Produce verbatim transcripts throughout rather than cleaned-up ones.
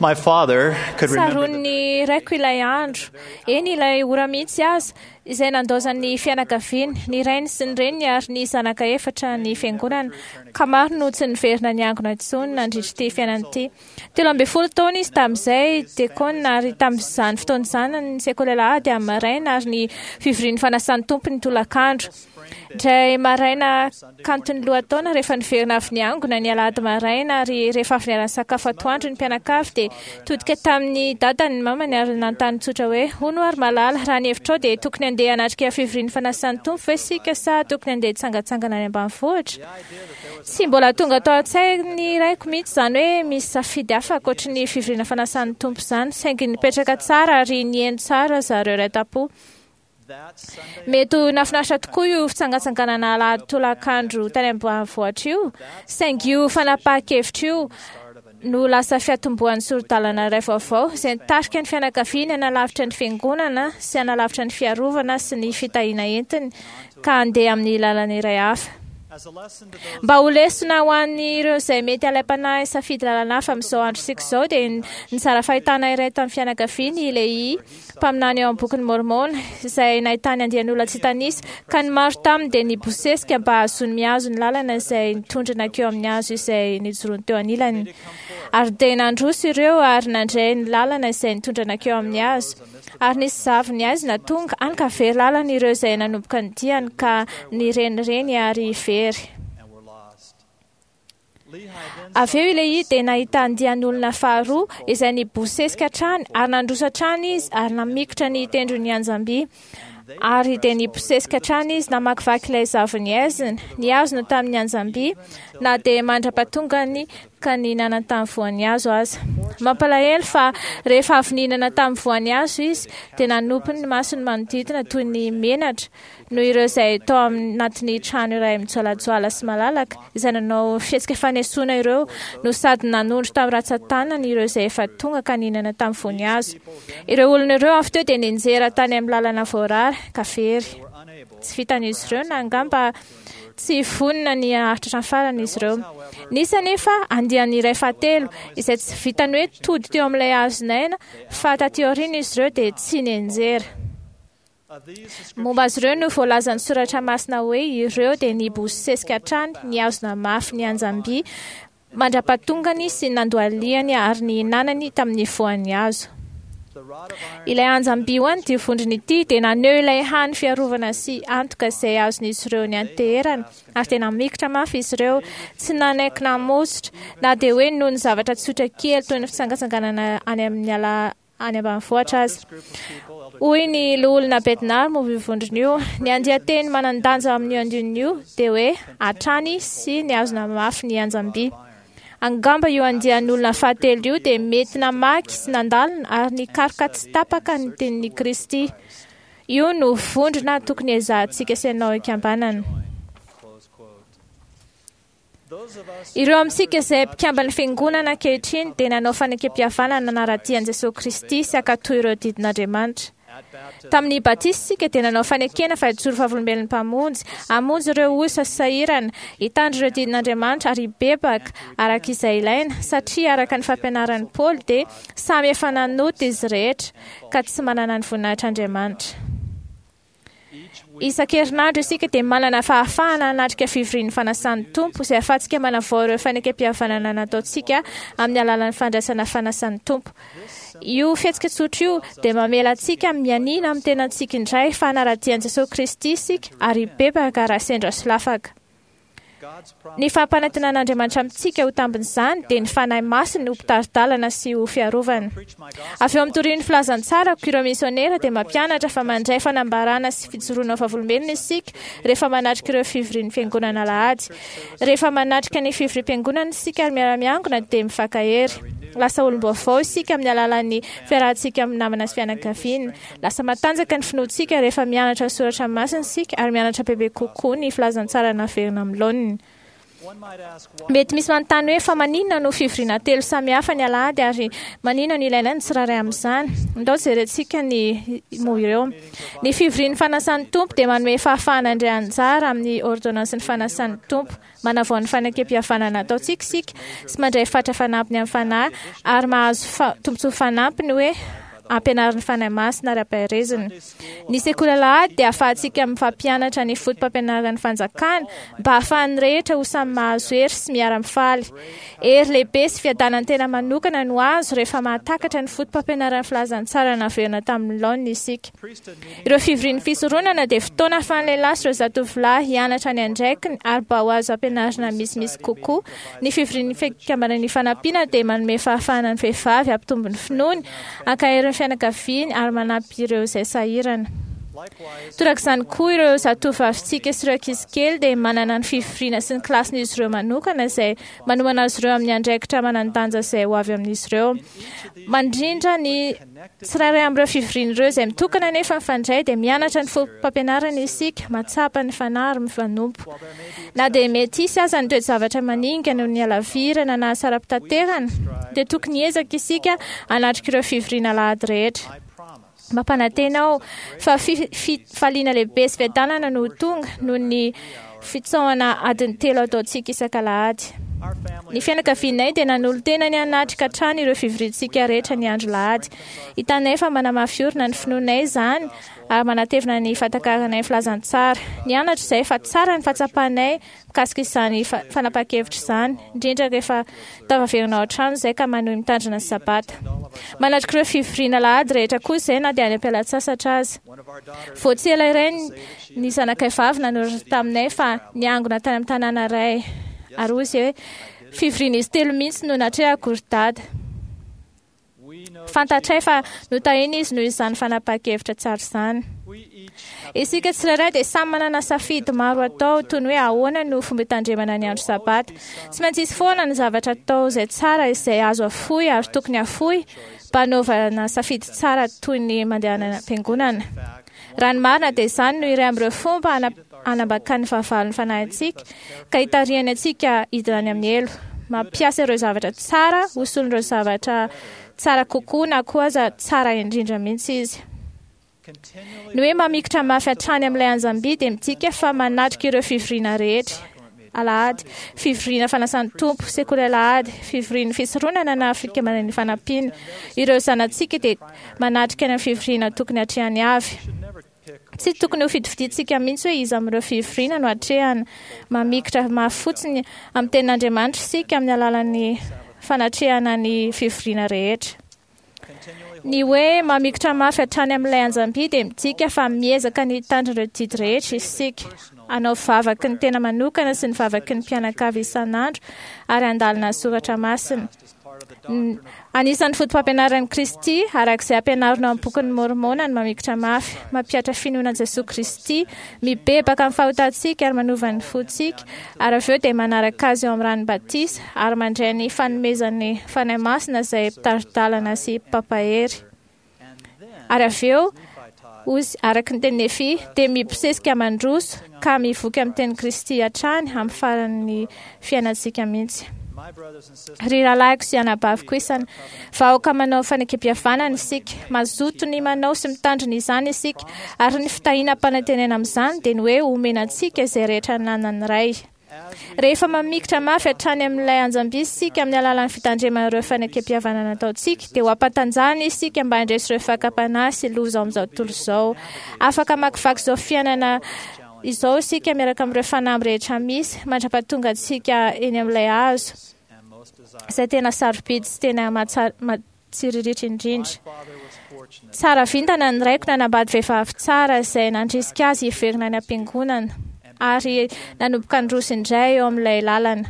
My father could remember the Tsaroan'ny raiko ilay andro, eny ilay ora mihitsy aza, izay nandaozan'ny fianakaviany, ny rainy sy ny reniny ary ny zanaka efatra ny fiangonana, ka maro no tsy niverina niangona intsony nandritra ity fiainana ity. Telo ambin'ny folo taona izy tamin'izay, diakona, ary tamin'izany fotoana izany ny sekoly alahady amin'ny maraina ary ny fivorian'ny fanasan'ny Tompo ny tolakandro. Indray maraina kanton'ny lohataona rehefa niverina avy niangona ny alahady maraina ary rehefa avy niara-nisakafo atoandro ny mpianakavy dia todika tamin'ny dadany ny mamany ary nanontany tsotra hoe: "Hono ary malala, raha ny hevitrao dia tokony handeha hanatrika fivorian'ny fanasan'ny Tompo ve isika sa tokony handeha hitsangantsangana any ambanivohitra?" Tsy mbola tonga tao an-tsain'ny raiko mihitsy izany hoe misy safidy hafa ankoatry ny fivoriana fanasan'ny Tompo izany, saingy nipetraka tsara ary nihaino tsara zareo iray tam-po. that Sunday Mety ho nahafinaritra tokoa io fitsangatsanganana alahady tolakandro tany ambanivohitra io, saingy io fanapahan-kevitra io start of a new no lasa fiatombohan'ny sori-dalana iray vaovao izay nitarika ny fianakaviany hanalavitra ny fiangonana sy hanalavitra ny fiarovana sy ny fitahiana entiny ka handeha amin'ny lalana iray hafa. as a lesson to those Mba ho lesona ho an'ireo izay mety alaim-panahy safidy lalana hafa amin'izao androntsika izao dia nizara fahitana iray tamin'ny fianakaviany i Lehi, mpaminany eo amin'ny bokin'ny Môrmôna, izay nahitany andian'olona tsy tanisa, ka ny maro taminy dia nibosesika mba hahazoany mihazo ny lalana izay nitondra nankeo amin'ny hazo izay nijoroany teo anilany. Ary dia nandroso ireo ary nandray ny lalana izay nitondra nankeo amin'ny hazo. Ary nisy zavony aizina tonga, hany ka very lalana ireo izay nanomboka ny diany ka nirenireny ary very. and were lost. Lehi then Avy eo i Lehi dia nahita andian'olona faharoa izay nibosesika hatrany ary nandroso hatrany izy ary namikotra ny tendron'ny anjamby. Ary dia nibosesika hatrany izy namakivaky ilay zavony aizina, nihazona tamin'ny anjamby na dia mandra-pahatongany ka nihinana tamin'ny voan'ny hazo aza. Mampalahelo fa rehefa avy nihinana tamin'ny voan'ny hazo izy dia nanopy ny masony manodidina toy ny menatra noho ireo izay tao anatin'ny trano iray mijoalajoala sy malalaka izay nanao fihetsika fanesoana ireo no sady nanondro tamin'ny ratsan-tanany ireo izay efa tonga ka nihinana tamin'ny voan'ny hazo. Ireo olona ireo avy teo dia nianjera tany amin'ny lalana voarara ka very. were unable Tsy vitan'izy ireo na angamba tsy vonona ny haharitra hatramin'ny farany izy ireo. Nisy anefa andiany iray fahatelo izay tsy vitany hoe tody teo amin'ilay hazon'aina fa taty aoriana izy ireo dia tsy nianjera. of these the scripture Momba azy ireo no voalazan'ny soratra masina hoe ireo dia nibosesika hatrany nihazona mafy ny anjamby mandra-pahatongany sy nandohalihany ary nihinanany tamin'ny voan'ny hazo. the rod of iron Ilay anjamby ho an'ity vondrona ity dia naneho ilay hany fiarovana sy antoka izay azon'izy ireo nianteherana ary dia namikitra mafy izy ireo, tsy nanaiky namositra na dia hoe noho ny zavatra tsotra kely toy ny fitsangatsanganana any amin'ny ala any ambanivohitra aza. this group of people elder Hoy ny loholona Bednar momba io vondrona io, ny andian-teny manan-danja amin'io andininy io dia hoe hatrany sy nihazona mafy ny anjamby. Angamba io andian'olona fahatelo io dia mety namaky sy nandalina ary nikaroka tsy tapaka ny tenin'i Kristy. Io no vondrona tokony ezahantsika sy ianao hikambanana. close quote. Those of us Ireo amintsika izay mpikamban'ny fiangonana ankehitriny dia nanao fanekempihavanana nanara-dia an'i Jesosy Kristy sy hankatò ireo didin'Andriamanitra. at baptism Tamin'ny batisa isika dia nanao fanekena fa hijoro vavolombelon'ny Mpamonjy, hamonjy ireo osa sy sahirana, hitandro ireo didin'Andriamanitra ary hibebaka araka izay ilaina, satria araka ny fampianaran'i Paoly dia samy efa nanota izy rehetra ka tsy manana ny voninahitr'Andriamanitra. each week Isan-kerinandro isika dia manana fahafahana hanatrika fivorian'ny fanasan'ny Tompo izay ahafahantsika manavao ireo fanekempihavanana nataontsika amin'ny alalan'ny fandraisana fanasan'ny Tompo. Io fihetsika tsotra io dia mamela antsika mianiana amin'ny tenantsika indray fa hanara-dia an'i Jesosy Kristy isika ary hibebaka raha sendra solafaka. God's Ny promise fampanantenan'Andriamanitra amintsika ho tambin'izany dia ny Fanahy Masiny ho mpitari-dalana sy ho fiarovana. preach my gospel Avy eo amin'ny torian'ny filazantsarako ireo misionera dia mampianatra fa mandray fanambarana sy fijoroana ho vavolombelona isika rehefa manatrika ireo fivorian'ny fiangonana alahady. Rehefa manatrika ny fivoriam-piangonana isika ary miara-miangona dia mifankahery. Lasa olom-baovao isika amin'ny alalan'ny fiarahantsika amin'ny namana sy fianakaviana. Lasa matanjaka ny finoantsika rehefa mianatra ny soratra masina isika ary mianatra bebe kokoa ny filazantsara naverina amin'ny laoniny. one might ask why Mety misy manontany hoe fa maninona no fivoriana telo samihafa ny alahady ary maninona no ilaina ny tsirairay amin'izany. Ndao jerentsika ny moa ireo. Ny fivorian'ny fanasan'ny Tompo dia manome fahafahana handray anjara amin'ny ordonnansin'ny fanasan'ny Tompo Manavao ny fanekempihavanana ataontsika isika sy mandray fatra fanampiny amin'ny Fanahy ary mahazo fa- tombontsoa fanampiny hoe ampianarin'ny Fanahy Masina ary ampaherezina. Ny sekoly alahady dia ahafahantsika mifampianatra ny fotopampianaran'ny fanjakana mba ahafahan'ny rehetra ho samy mahazo hery sy miara-mifaly. Hery lehibe sy fiadanan'ny tena manokana no azo rehefa mahatakatra ny fotopampianaran'ny filazantsara naverina tamin'ny laoniny isika. Ireo fivorian'ny fisoronana dia fotoana ahafahan'ny lehilahy sy ireo zatovolahy hianatra ny andraikiny ary mba ho azo ampianarina misimisy kokoa. Ny fivorian'ny fikambanan'ny fanampiana dia manome fahafahana ny vehivavy hampitombo ny finoany, ankahery ny fianakaviany ary manampy ireo izay sahirana. Likewise, Torak'izany koa ireo zatovavintsika sy ireo ankizy kely dia manana ny fivoriana sy ny kilasin'izy ireo manokana izay manomana azy ireo amin'ny andraikitra manan-danja izay ho avy amin'izy ireo. Mandrindra ny tsirairay amin'ireo fivoriana ireo izay mitokana nefa mifandray dia mianatra ny fotopampianarana isika, mahatsapa ny Fanahy ary mifanompo. while there may be Na dia mety hisy aza ny toe-javatra maningana noho ny halavirana na asara-pitaterana, dia tokony hiezaka isika hanatrika ireo fivoriana alahady rehetra. I promise Mampanantena aho fa fi- fifaliana lehibe sy fiadanana no ho tonga noho ny fitsaohana adiny telo ataontsika isak'alahady. our family Ny fianakavianay dia nanolo-tena ny hanatrika hatrany ireo fivoriantsika rehetra ny andro lahady. Hitanay fa manamafy orina ny finoanay izany ary manatevina ny fahatakaranay ny filazantsara. Nianatra izay fa tsara ny fahatsapanay mikasika izany fa- fanapahan-kevitra izany, indrindra rehefa tafaverina ao an-trano izay ka manohy mitandrina ny sabata. Manatrika ireo fivoriana alahady rehetra koa izay na dia any am-pialan-tsasatra aza. one of our daughters Vao tsy ela iray ny- ny zanakay vavy nanoratra taminay fa niangona tany amin'ny tanàna iray. Ary hoy izy hoe fivoriana izy telo mihitsy no natrehako ry dada. we know Fantatray fa notahina izy noho izany fanapahan-kevitra tsara izany. we each have Isika tsirairay dia samy manana safidy maro atao toy ny hoe ahoana no fomba hitandremana ny andro sabata. Tsy maintsy hisy foana ny zavatra atao izay tsara izay azo afoy ary tokony afoy mba hanaovana safidy tsara toy ny mandehanana am-piangonana. fact Raha ny marina dia izany no iray amin'ireo fomba hana- hanambakan'ny fahavalon'ny fanahintsika ka hitarihany antsika hidina any amin'ny helo. Mampiasa ireo zavatra tsara ho solon'ireo zavatra tsara kokoa na koa aza tsara indrindra mihitsy izy. continually Ny hoe mamikitra mafy hatrany amin'ilay anjamby dia midika fa manatrika ireo fivoriana rehetra. Alahady, fivoriana fanasan'ny Tompo, sekoly alahady, fivorian'ny fisoronana na fikambanan'ny fanampiana. Ireo zanatsika dia manatrika ny fivoriana tokony hatrehany avy. should never pick Tsy tokony ho fidifidintsika mihitsy hoe iza amin'ireo fivoriana no atrehana. Mamikitra mafy fotsiny amin'ny tenin'Andriamanitra isika amin'ny alalan'ny fanatrehana ny fivoriana rehetra. continually Ny hoe mamikitra mafy hatrany amin'ilay anjamby dia midika fa miezaka ny hitandrina ireo didy rehetra isika. Hanao vavaky ny tena manokana sy ny vavaky ny mpianakavy isan'andro ary handalina ny soratra masina. as part of the N- doctrine of Anisan'ny fotopampianaran'i Kristy araka izay ampianarina ao amin'ny bokin'ny Môrmôna ny mamikitra mafy, mampihatra finoana an'i Jesoa Kristy, mibebaka amin'ny fahotantsika ary manova ny fontsika, ary avy eo dia manaraka azy eo amin'ny ran'ny batisa ary mandray ny fanomezan'ny Fanahy Masina izay mpitari-dalana sy mpampahery. and then Ary avy eo, Nephi taught ozy araka ny teny Nefi dia mibosesika mandroso ka mivoky amin'ny teny Kristy hatrany amin'ny faran'ny fiainantsika mihitsy. my brothers and sisters Ry rahalahiko sy anabaviko isany, vahoaka manao fanekempihavanana isika, mazoto ny manao sy mitandrina izany isika, ary ny fitahiana ampanantenena amin'izany dia ny hoe omena antsika izay rehetra ananan'ny Ray. as we Rehefa mamikitra mafy hatrany amin'ilay anjamby isika amin'ny alalan'ny fitandremana ireo fanekempihavanana ataontsika, dia ho ampatanjahana isika mba handresy ireo fakam-panahy sy loza ao amin'izao tontolo izao. Afaka mamakivaky izao fiainana izao isika miaraka amin'ireo fanamby rehetra misy mandra-pahatonga antsika eny amin'ilay hazo and most desire izay tena sarobidy sy tena mahatsa- mahatsiriritra indrindra. my father was fortunate Tsara vintana ny raiko nanambady vehivavy tsara izay nandrisika azy hiverina any am-piangonana ary nanomboka nandroso indray eo amin'ilay lalana.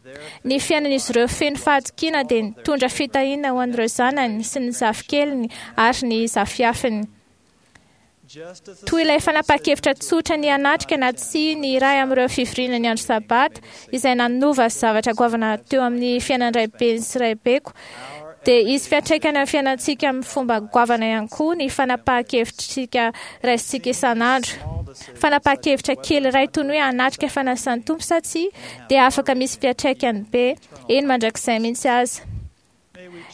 their Ny fiainan'izy ireo feno fahatokiana dia nitondra fitahiana ho an'ireo zanany sy ny zafikeliny ary ny zafiafiny. just as the Toy ilay fanapahan-kevitra tsotra ny hanatrika na tsia ny iray amin'ireo fivoriana ny andro sabata izay nanova zavatra goavana teo amin'ny fiainan-draibeny sy raibeko dia hisy fiantraikany amin'ny fiainantsika amin'ny fomba goavana ihany koa ny fanapahan-kevitritsika raisintsika isan'andro. small decisions Fanapahan-kevitra kely iray toy ny hoe hanatrika fanasan'ny Tompo sa tsia dia afaka misy fiantraikany be eny mandrakizay mihitsy aza.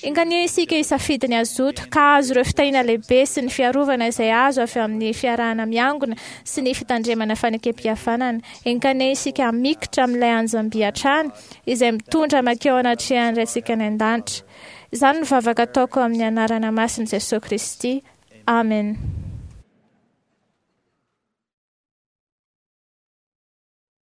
Enga anie isika hisafidy ny hazoto ka hahazo ireo fitahiana lehibe sy ny fiarovana izay azo avy amin'ny fiarahana miangona sy ny fitandremana fanekempihavanana. Enga anie isika hamikitra amin'ilay anjam-by hatrany izay mitondra mankeo anatrehan'ny Raintsika any an-danitra. Izany no vavaka ataoko amin'ny anarana masin'i Jesoa Kristy. Amen.